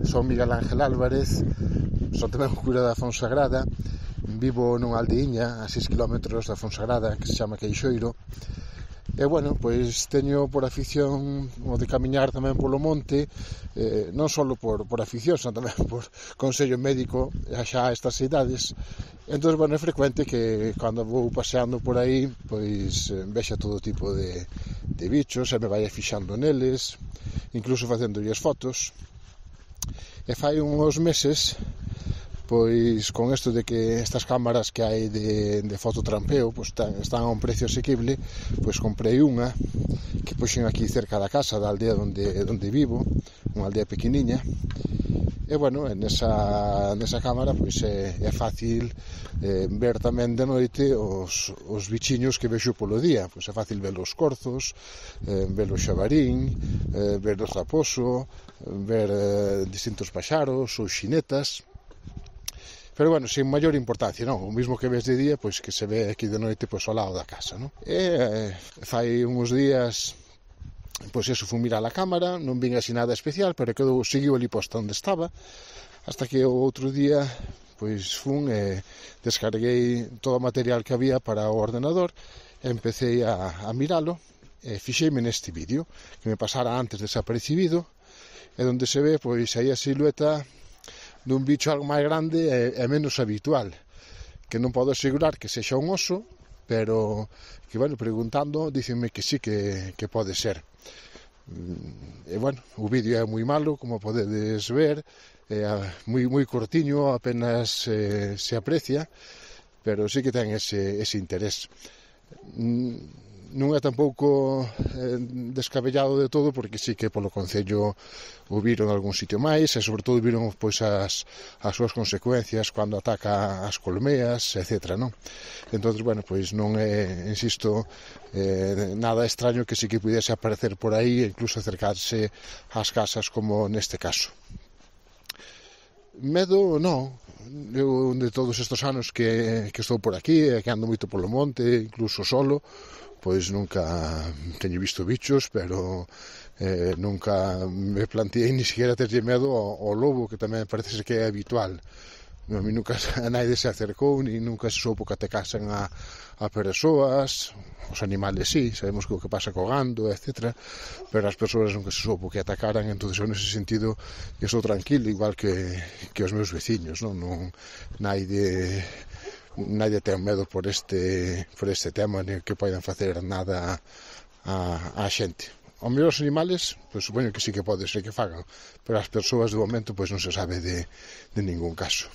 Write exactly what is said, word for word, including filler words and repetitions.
Son Miguel Ángel Álvarez, son tamén o cura da Fonsagrada. Vivo nunha aldeiña a seis kilómetros da Fonsagrada que se chama Queixoiro. E, bueno, pois teño por afición o de camiñar tamén polo monte, eh, non só por, por afición, senón tamén por consello médico xa a estas idades. Entón, bueno, é frecuente que cando vou paseando por aí, pois vexa todo tipo de, de bichos, e me vai fixando neles, incluso facendolles fotos. E fai uns meses, pois con isto de que estas cámaras que hai de, de fototrampeo pois están, están a un precio asequible, pois comprei unha que puxen aquí cerca da casa da aldea onde, onde vivo, unha aldea pequeniña. E, bueno, nesa, nesa cámara pois é, é fácil eh, ver tamén de noite os, os bichiños que vexo polo día. Pois é fácil ver os corzos, eh, ver o xabarín, eh, ver o raposo, ver eh, distintos paxaros, os xinetas. Pero, bueno, sin maior importancia, non? O mismo que ves de día, pois que se ve aquí de noite pois ao lado da casa, non? E eh, fai uns días, pois eso, fui mirar a cámara, non vin así nada especial, pero quedou, seguiu ali posta onde estaba, hasta que o outro día, pois fun e descarguei todo o material que había para o ordenador, e empecé a, a miralo, e fixeime neste vídeo, que me pasara antes desapercibido, e onde se ve, pois, aí a silueta dun bicho algo máis grande e, e menos habitual, que non podo asegurar que sexa un oso, pero que, bueno, preguntando, dícenme que sí que, que pode ser. E, bueno, o vídeo é moi malo, como podedes ver, é moi, moi cortiño, apenas eh, se aprecia, pero sí que ten ese, ese interés. Non é tampouco eh, descabellado de todo, porque sí que polo concello o viron en algún sitio máis, e sobre todo viron pois as, as súas consecuencias cando ataca as colmeas, etcétera, non? Entón, bueno, pois non é, insisto, eh, nada extraño que sí que pudiese aparecer por aí e incluso acercarse ás casas como neste caso. Medo, non. Eu, de todos estes anos que, que estou por aquí e que ando moito polo monte, incluso solo, pois nunca teño visto bichos, pero eh, nunca me planteei ni siquiera terlle medo ao, ao lobo, que tamén parece que é habitual. A mí nunca a naide se acercou, ni nunca se soupo que atacasen a, a persoas. Os animales sí, sabemos que o que pasa co gando, etcétera, pero as persoas nunca se soupo que atacaran. Entón, nese sentido, eu estou tranquilo, igual que, que os meus veciños, non? Non naide... Nadie ten medo por este por este tema, ni que poidan facer nada a, a xente. Os mellor os animales, pois supoño que sí que pode ser que fagan, pero as persoas de momento pois non se sabe de, de ningún caso.